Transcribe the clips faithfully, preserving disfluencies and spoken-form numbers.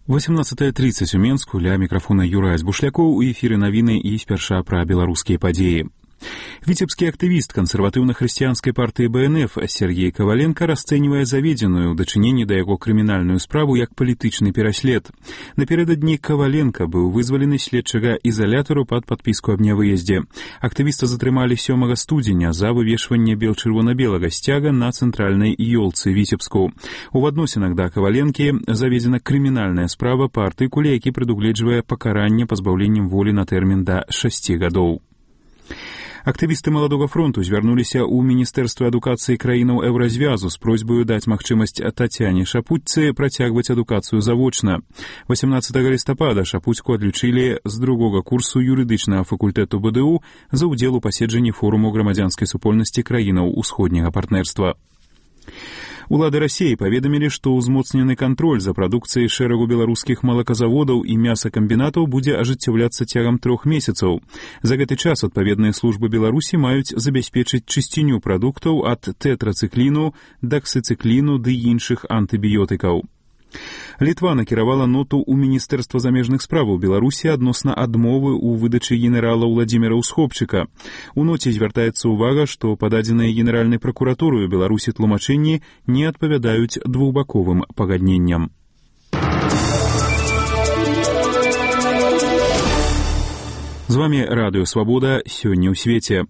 восемнадцатая тридцать у Менску, ля мікрафона Юрась Бушлякоў, у эфіры навіны і спярша пра беларускія падзеі. Віцебскі актывіст кансерватыўна-хрысціянскай партыі Бэ Эн Эф Сергей Коваленко расцэньвае заведзеную ў дачыненні да яго крымінальную справу як палітычны пераслед. Напярэдадні Коваленко быў вызвалены з следчага ізалятару пад падпіску аб нявыездзе. Актывіста затрымалі сёмага студзеня за вывешванне бел-чырвона-белага сцяга на цэнтральнай ёлцы Віцебску. У адносінах да Коваленкі заведзена крымінальная справа па артыкуле, які прадугледжвае пакаранне пазбаўленнем волі на тэрмін да шасці гадоў. Актывісты маладога фронту звярнуліся ў Міністэрства адукацыі краінаў Еўразвязу з просьбаю даць магчымасць Тацяне Шапуццы працягваць адукацыю завочна. восемнадцатага лістапада Шапуцку адлічылі з другога курсу юрыдычнага факультэту Бэ Дэ У за ўдзел у паседжанні форуму грамадзянскай супольнасці краінаў усходняга партнерства. Улады Расіі паведамілі, што ўзмоцнены кантроль за прадукцыяй шэрагу беларускіх малаказаводаў і мясакамбінатаў будзе ажыццяўляцца цягам трох месяцаў. За гэты час адпаведныя службы Беларусі маюць забяспечыць чысціню прадуктаў ад тэтрацыкліну, даксіцыкліну ды іншых антыбіётыкаў. Літва накіравала ноту ў Міністэрства замежных справаў Беларусі адносна адмовы ў выдачы генерала Ўладзіміра Усхопчыка. У ноце звяртаецца ўвага, што пададзеныя генеральнай пракуратураю Беларусі тлумачэнні не адпавядаюць двухбаковым пагадненням. З вами Радыё Свабода сёння ў свеце.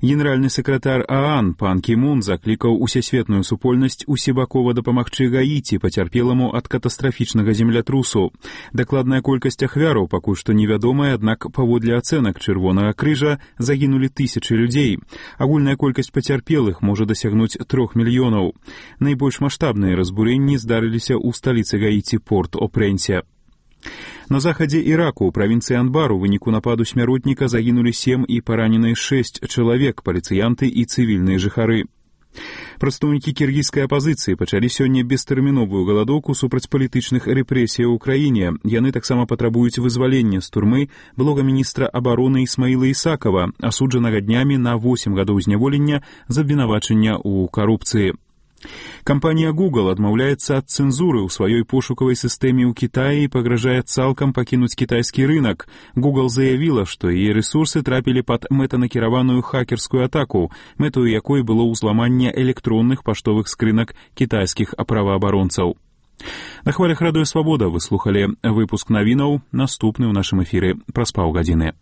Генеральны сакратар ААН пан Кі Мун заклікаў усесветную супольнасць усебакова дапамагчы Гаіці, пацярпеламу ад катастрафічнага землятрусу. Дакладная колькасць ахвяраў пакуль што невядомая, аднак паводле ацэнак Чырвонага крыжа загінулі тысячы людзей. Агульная колькасць пацярпелых можа дасягнуць трох мільёнаў. Найбольш маштабныя разбурэнні здарыліся ў сталіцы Гаіці Порт-о-Прэнсе. На захадзе Іраку ў правінцыі Анбар у выніку нападу смяротніка загінулі сем і параненыя шэсць чалавек, паліцыянты і цывільныя жыхары. Прадстаўнікі кіргізскай апазіцыі пачалі сёння бестэрміновую галадоўку супраць палітычных рэпрэсіяў у краіне. Яны таксама патрабуюць вызвалення з турмы былога міністра абароны Ісмаіла Ісакава, асуджанага днямі на восем гадоў зняволення за абвінавачання ў карупцыі. Кампанія Google адмаўляецца ад цэнзуры ў сваёй пошукавай сістэме ў Кітаі і пагражае цалкам пакінуць кітайскі рынак. Google заявіла, што яе рэсурсы трапілі пад мэтанакіраваную хакерскую атаку, мэтаю якой было ўзламанне электронных паштовых скрынак кітайскіх праваабаронцаў. На хвалях Радыё Свабода вы слухалі выпуск навінаў, наступны ў нашым эфіры праз паўгадзіны.